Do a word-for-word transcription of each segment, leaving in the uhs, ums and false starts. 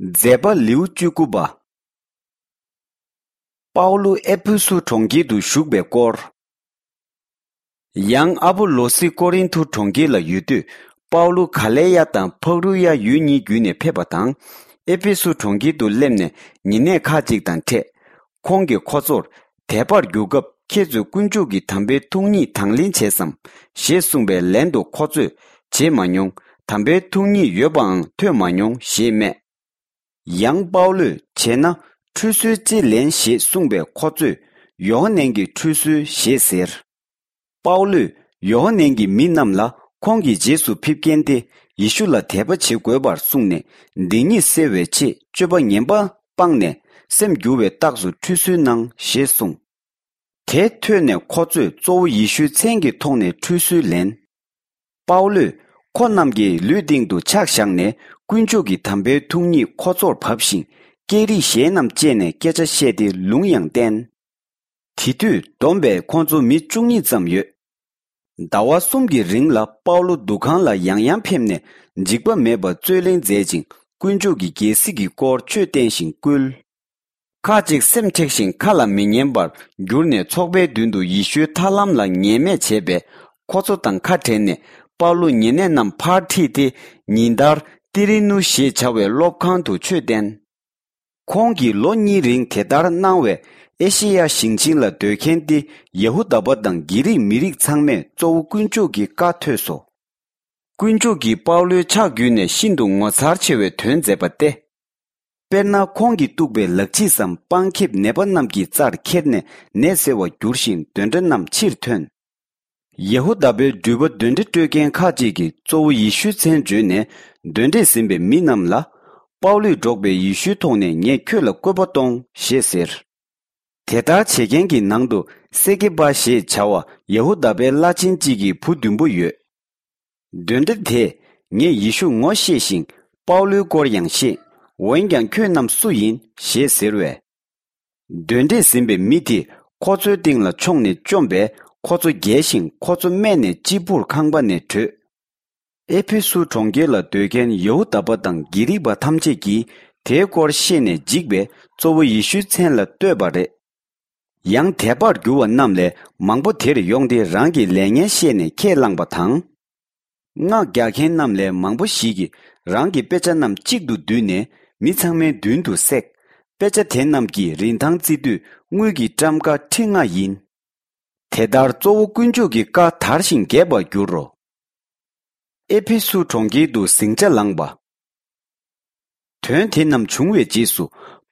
མཛད་པ་ལེའུ་བཅུ་དགུ་པ། པའུ་ལུ་ཨེ་ཕེ་སུ་གྲོང་ཁྱེར་དུ་བཞུགས་པའི་སྐོར། ཡང་ཨ་པོ་ལོ་སི་ཀོ་རིན་ཐུ་གྲོང་ཁྱེར་ལ་ཡོད་དུས། པའུ་ལུ་ག་ལེ་ཡ་དང་ཕག་རུ་ཡ་ཡུལ་གཉིས་བརྒྱུད་ནས་ཕེབས་པ་དང་། ཨེ་ཕེ་སུ་གྲོང་ཁྱེར་དུ་སླེབས་ནས་ཉེ་གནས་ཁག་ཅིག་དང་འཕྲད། ཁོང་གིས་ཁོ་ཚོར། དད་པར་གྱུར་སྐབས་ཁྱེད་ཚོས་དཀོན་མཆོག་གི་དམ་པའི་ཐུགས་ཉིད་དང་ལེན་བྱས་སམ། ཞེས་གསུངས་པའི་ལན་དུ་ཁོ་ཚོས། བྱེད་མ་མྱོང་། དམ་པའི་ཐུགས་ཉིད་ཡོད་པའང་ཐོས་མ་མྱོང་ཞེས་སྨྲས། ཡང་པའུ་ལུས་བྱས་ན་ཁྲུས་གསོལ་ཅི་ལེན་ཞེས་གསུངས་པས་ཁོ་ཚོས་ཡོ་ཧ་ནན་གྱི་ཁྲུས་གསོལ་ཞེས་ཟེར། པའུ་ལུས་ཡོ་ཧ་ནན་གྱིས་མི་རྣམས་ལ་ཁོང་གི་རྗེས་སུ་ཕེབས་མཁན་ཏེ་ཡེ་ཤུ་ལ་དད་པ་བྱེད་དགོས་པར་གསུངས་ནས་སྡིག་ཉེས་སེལ་བའི་ཆེད་སྤྱོད་པ་ངན་པ་སྤངས་ནས་སེམས་འགྱུར་བའི་རྟགས་སུ་ཁྲུས་གསོལ་གནང་ཞེས་གསུངས། དེ་ཐོས་ནས་ཁོ་ཚོས་གཙོ་བོ་ཡེ་ཤུའི་མཚན་གྱི་ཐོག་ནས་ཁྲུས་གསོལ་ལེན། པའུ་ལུས་ཁོ་རྣམས་ཀྱི་ལུས་སྟེང་དུ་ཕྱག་བཞག་ནས་དཀོན་མཆོག་གི་དམ་པའི་ཐུགས་ཉིད་ཁོ་ཚོར་བབས་ཤིང་། སྐད་རིགས་གཞན་རྣམས་སྤྱད་ནས་སྐད་ཆ་བཤད་དེ་ལུང་ཡང་བསྟན། དེ་དུས་བསྡོམས་པས་ཁོ་ཚོ་མི་བཅུ་གཉིས་ཙམ་ཡོད། ཟླ་བ་གསུམ་གྱི་རིང་ལ་པའུ་ལུ་འདུ་ཁང་ལ་ཡང་ཡང་ཕེབས་ནས་འཇིགས་པ་མེད་པར་རྩོད་གླེང་མཛད་ཅིང་དཀོན་མཆོག་གི་རྒྱལ་སྲིད་ཀྱི་སྐོར་ཆོས་བསྟན་ཞིང་བསྐུལ། ཁ་ཅིག་སེམས་མཁྲེགས་ཤིང་ཁ་ལ་མི་ཉན་པར་གྱུར་ནས་ཚོགས་པའི་མདུན་དུ་ཡེ་ཤུའི་ཐར་ལམ་ལ་ངན་སྨྲས་བྱས་པས། ཁོ་ཚོ་དང་ཁ་བྲལ་ནས་པའུ་ལུ་ཉེ་གནས་རྣམས་ཕར་ཁྲིད་དེ་ཉིན་ལྟར་ཏི་རི་ནུ་ཞེས་བྱ་བའི་སློབ་ཁང་དུ་ཆོས་བསྟན། ཁོང་གིས་ལོ་གཉིས་རིང་དེ་ལྟར་གནང་བས་ཨེ་ཤེ་ཡ་ཞིང་ཆེན་ལ་སྡོད་མཁན་ཏེ་ཡ་ཧུ་དཱ་པ་དང་གྷི་རིག་མི་རིགས་ཚང་མས་གཙོ་བོ་དཀོན་མཆོག་གི་བཀའ་ཐོས་སོ། དཀོན་མཆོག་གིས་པའུ་ལུའི་ཕྱག་བརྒྱུད་ནས་ཤིན་ཏུ་ངོ་མཚར་ཆེ་བའི་དོན་མཛད་པ་སྟེ། དཔེར་ན་ཁོང་གིས་གཏུགས་པའི་ལག་ཕྱིས་སམ་པང་ཁེབས་ནད་པ་རྣམས་ཀྱི་རྩར་ཁྱེར་ནས་ནད་སེལ་བར་འགྱུར་ཞིང་གདོན་འདྲེ་རྣམས་ཕྱིར་ཐོན། ཡ་ཧུ་དཱ་པའི་འགྲུལ་པ་གདོན་འདྲེ་སྤྲོད་མཁན་ཁ་ཅིག་གིས་གཙོ་བོ་ཡེ་ཤུའི་མཚན་བརྗོད་ནས་གདོན་འདྲེས་ཟིན་པའི་མི་རྣམས་ལ། པའུ་ལུས་སྒྲོག་པའི་ཡེ་ཤུའི་ཐོག་ནས་ངས་ཁྱོད་ལ་བཀོད་པ་གཏོང་ཞེས་ཟེར། དེ་ལྟར་བྱེད་མཁན་གྱི་ནང་དུ་སེ་ཀེ་པ་ཞེས་བྱ་བ་ཡ་ཧུ་དཱ་པའི་བླ་ཆེན་གཅིག་གི་བུ་བདུན་པོ་ཡོད། གདོན་འདྲེ་དེས་ངས་ཡེ་ཤུ་ངོ་ཤེས་ཤིང་པའུ་ལུའི་སྐོར་ཡང་ཤེས། འོན་ཀྱང་ཁྱོད་རྣམས་སུ་ཡིན་ཞེས་ཟེར་བས། གདོན་འདྲེས་ཟིན་པའི་མི་དེས་ཁོ་ཚོའི་སྟེང་ལ་མཆོངས་ནས་བཅོམ་པས་ཁོ་ཚོ་བརྒྱལ་ཞིང་ཁོ་ཚོ་སྨད་ནས་གཅེར་བུར་ཁང་པ་ནས་བྲོས། ཨེ་ཕེ་སུ་གྲོང་ཁྱེར་ལ་སྡོད་མཁན་ཡ་ཧུ་དཱ་པ་དང་གྷི་རིག་པ་ཐམས་ཅད་ཀྱིས་དེའི་སྐོར་ཤེས་ནས་འཇིགས་པས་གཙོ་བོ་ཡེ་ཤུའི་མཚན་ལ་བསྟོད་པ་རེད། ཡང་དད་པར་གྱུར་བ་རྣམས་ལས་མང་པོ་དེར་ཡོང་སྟེ་རང་གི་ལས་ངན་ཤེས་ནས་ཁས་བླངས་པ་དང་། སྔགས་རྒྱག་མཁན་རྣམས་ལས་མང་པོ་ཞིག་གིས་རང་གི་དཔེ་ཆ་རྣམས་གཅིག་ཏུ་བསྡུས་ནས་མི་ཚང་མའི་མདུན་དུ་བསྲེགས། དཔེ་ཆ་དེ་རྣམས་ཀྱི་རིན་ཐང་བརྩི་དུས་དངུལ་གྱི་ཊམ་ཀ་ཁྲི་ལྔ་ཡིན། དེ་ལྟར་གཙོ་བོ་དཀོན་མཆོག་གི་བཀའ་དར་ཞིང་རྒྱས་པར་འགྱུར་རོ། ཨེ་ཕེ་སུ་གྲོང་ཁྱེར་དུ་ཟིང་ཆ་ལངས་པ། དོན་དེ་རྣམས་བྱུང་བའི་རྗེས་སུ་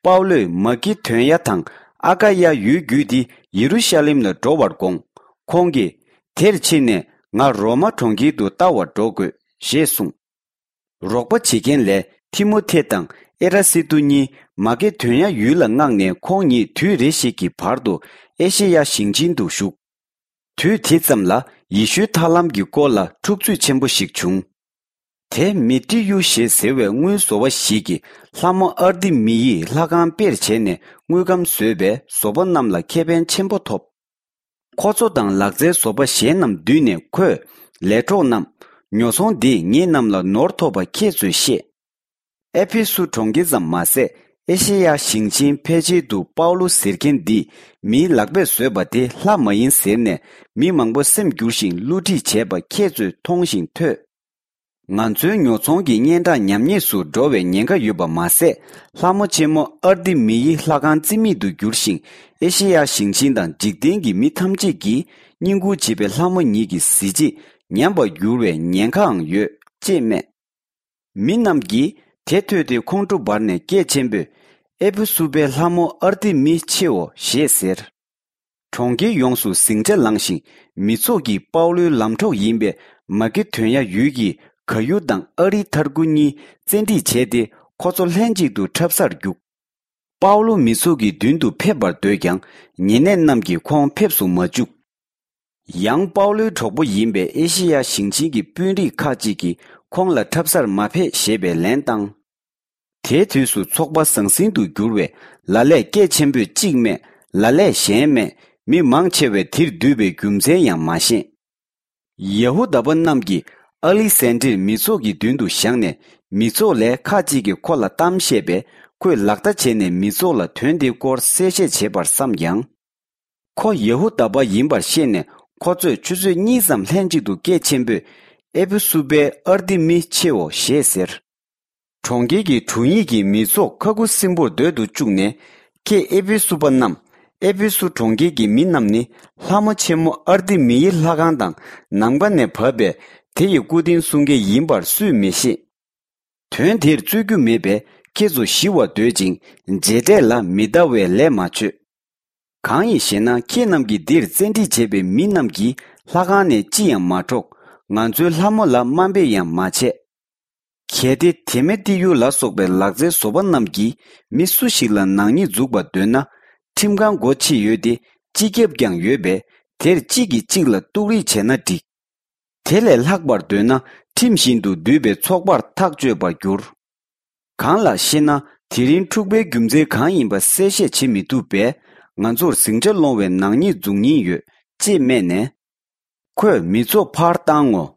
པའུ་ལོས་མ་ཀེ་དོན་ཡ་དང་ཨ་ཀ་ཡ་ཡུལ་བརྒྱུད་དེ་ཡེ་རུ་ཤ་ལེམ་ལ་འགྲོ་བར་དགོངས། ཁོང་གིས་དེར་ཕྱིན་ནས་ང་རོ་མ་གྲོང་ཁྱེར་དུ་ལྟ་བར་འགྲོ་དགོས་ཞེས་གསུངས། རོགས་པ་བྱེད་མཁན་ལས་ཐི་མོ་ཐེ་དང་ཨེ་ར་སི་ཏུ་གཉིས་མ་ཀེ་དོན་ཡ་ཡུལ་ལ་མངགས་ནས་ཁོང་ཉིད་དུས་རེ་ཞིག་གི་བར་དུ་ཨེ་ཤེ་ཡ་ཞིང་ཆེན་དུ་བཞུགས། དུས་དེ་ཙམ་ལ་ཡེ་ཤུའི་ཐར་ལམ་གྱི་སྐོར་ལ་འཁྲུག་རྩོད་ཆེན་པོ་ཞིག་བྱུང་། དེ་མི་ཏི་ཡུ་ཞེས་ཟེར་བའི་དངུལ་བཟོ་བ་ཞིག་གིས་ལྷ་མོ་ཨར་ཏི་མི་ཡི་ལྷ་ཁང་དཔེར་བྱས་ནས་དངུལ་སྒམ་བཟོས་པས་བཟོ་པ་རྣམས་ལ་ཁེ་ཕན་ཆེན་པོ་ཐོབ། ཁོ་ཚོ་དང་ལག་རྩལ་བཟོ་པ་གཞན་རྣམས་འདུས་ནས་ཁོས་ལས་གྲོགས་རྣམས། ཉོ་ཚོང་འདིས་ངེད་རྣམས་ལ་ནོར་ཐོབ་པ་ཁྱེད་ཚོས་ཤེས། ཨེ་ཕེ་སུ་གྲོང་ཁྱེར་ཙམ་མ་ཟད་ཨེ་ཤེ་ཡ་ཞིང་ཆེན་ཕལ་ཆེར་དུ་པའུ་ལུ་ཟེར་མཁན་འདིས་མིའི་ལག་པས་བཟོས་པ་དེ་ལྷ་མ་ཡིན་ཟེར་ནས་མི་མང་པོ་སེམས་བསྒྱུར་ཞིང་བསླུ་བྲིད་བྱས་པ་ཁྱེད་ཚོས་མཐོང་ཞིང་ཐོས། ང་ཚོའི་ཉོ་ཚོང་གི་སྙན་གྲགས་ཉམས་ཉེས་སུ་འགྲོ་བའི་ཉེན་ཁ་ཡོད་པ་མ་ཟད། ལྷ་མོ་ཆེན་མོ་ཨར་ཏི་མི་ཡི་ལྷ་ཁང་རྩིས་མེད་དུ་གྱུར་ཞིང་། ཨེ་ཤེ་ཡ་ཞིང་ཆེན་དང་འཇིག་རྟེན་གྱི་མི་ཐམས་ཅད་ཀྱིས་བསྙེན་བཀུར་བྱེད་པའི་ལྷ་མོ་ཉིད་ཀྱི་གཟི་བརྗིད་ཉམས་པར་འགྱུར་བའི་ཉེན་ཁའང་ཡོད་ཅེས་སྨྲས། མི་རྣམས་ཀྱིས་དེ་ཐོས་ཏེ་ཁོང་ཁྲོ་འབར་ནས་སྐད་ཆེན་པོས། ཨེ་ཕེ་སུ་པའི་ལྷ་མོ་ཨར་ཏི་མི་ཆེའོ་ཞེས་ཟེར། གྲོང་ཁྱེར་ཡོངས་སུ་ཟིང་ཆ་ལངས་ཤིང་། མི་ཚོགས་ཀྱིས་པའུ་ལོའི་ལམ་གྲོགས་ཡིན་པའི་མ་ཀེ་དོན་ཡ་ཡུལ་གྱི་ག་ཡུ་དང་ཨ་རི་ཐར་ཀུ་གཉིས་བཙན་ཁྲིད་བྱས་ཏེ་ཁོ་ཚོ་ལྷན་ཅིག་ཏུ་འཁྲབ་སར་བརྒྱུགས། པའུ་ལོ་མི་ཚོགས་ཀྱི་མདུན་དུ་ཕེབས་པར་འདོད་ཀྱང་ཉེ་གནས་རྣམས་ཀྱིས་ཁོང་ཕེབས་སུ་མ་བཅུག། ཡང་པའུ་ལོའི་གྲོགས་པོ་ཡིན་པའི་ཨེ་ཤེ་ཡ་ཞིང་ཆེན་གྱི་དཔོན་རིགས་ཁག་ཅིག་གིས་ཁོང་ལ་འཁྲབ་སར་མ་ཕེབས་ཞེས་པའི་ལན་བཏང་། དེའི་དུས་སུ་ཚོགས་པ་ཟང་ཟིང་དུ་གྱུར་བས། ལ་ལས་སྐད་ཆེན་པོས་གཅིག་སྨྲས། ལ་ལས་གཞན་སྨྲས། མི་མང་ཆེ་བས་དེར་འདུས་པའི་རྒྱུ་མཚན་ཡང་མ་ཤེས། ཡ་ཧུ་དཱ་པ་རྣམས་ཀྱིས་ཨ་ལི་སན་དྲིར་མི་ཚོགས་ཀྱི་མདུན་དུ་བཞག་ནས་ མི་ཚོགས་ལས་ཁ་ཅིག་གིས་ཁོ་ལ་གཏམ་བཤད་པས། ཁོས་ལག་བརྡ་བྱས་ནས་མི་ཚོགས་ལ་དོན་དེའི་སྐོར་གསལ་བཤད་བྱེད་པར་བསམས་ཀྱང་། ཁོ་ཡེ་ཧུ་དཱ་པ་ཡིན་པར་ཤེས་ནས། ཁོ་ཚོས་ཆུ་ཚོད་གཉིས་ཙམ་ལྷན་ཅིག་ཏུ་སྐད་ཆེན་པོས། ཨེ་ཕེ་སུ་པའི་ཨར་ཏི་མི་ཆེའོ་ཞེས་ཟེར། གྲོང་ཁྱེར་གྱི་དྲུང་ཡིག་གིས་མི་ཚོགས་ཁ་ཁུ་སིམ་པོར་སྡོད་དུ་བཅུག་ནས། ཁྱེད་ཨེ་ཕེ་སུ་པ་རྣམས། ཨེ་ཕེ་སུ་གྲོང་ཁྱེར་གྱི་མི་རྣམས་ནི། ལྷ་མོ་ཆེན་མོ་ཨར་ཏི་མི་ཡི་ལྷ་ཁང་དང་། ནམ་མཁའ་ནས་བབས་པའི་དེ་ཡི་སྐུ་རྟེན་སྲུང་མཁན་ཡིན་པར་སུས་མི་ཤེས། དོན་དེར་རྩོད་རྒྱུ་མེད་པས། ཁྱེད་ཚོ་ཞི་བར་སྡོད་ཅིང་། མཇལ་འཕྲད་ལ་མི་ལྟ་བའི་ལས་མ་བྱོས། གང་ཡིན་ཞེ་ན། ཁྱེད་རྣམས་ཀྱིས་འདིར་བཙན་ཁྲིད་བྱས་པའི་མི་རྣམས་ཀྱིས་ལྷ་ཁང་ནས་ཅི་ཡང་མ་འཕྲོག། ང་ཚོའི་ལྷ་མོ་ལ་དམའ་འབེབས་ཡང་མ་བྱས། གལ་ཏེ་དེ་མེ་ཏི་ཡུ་ལ་སོགས་པའི་ལག་རྩལ་བཟོ་པ་རྣམས་ཀྱིས་མི་སུ་ཞིག་ལ་ནག་ཉེས་འཛུགས་པར་འདོད་ན། ཁྲིམས་ཁང་སྒོ་ཕྱེ་ཡོད་དེ། སྤྱི་ཁྱབ་ཀྱང་ཡོད་པས། དེར་གཅིག་གིས་གཅིག་ལ་གཏུག་རེས་བྱས་ན་འགྲིག། དེ་ལས་ལྷག་པར་འདོད་ན། ཁྲིམས་བཞིན་དུ་འདུས་པའི་ཚོགས་པར་ཐག་གཅོད་པར་འགྱུར། གང་ལགས་ཤེ་ན། དེ་རིང་འཁྲུག་པའི་རྒྱུ་མཚན་གང་ཡིན་པ་གསལ་བཤད་བྱེད་མི་ཐུབ་པས། ང་ཚོར་ཟིང་ཆ་སློང་བའི་ནག་ཉེས་འཛུགས་ཉེན་ཡོད། ཅེས་སྨྲས་ནས། ཁོས་མི་ཚོགས་ཕར་བཏང་ངོ་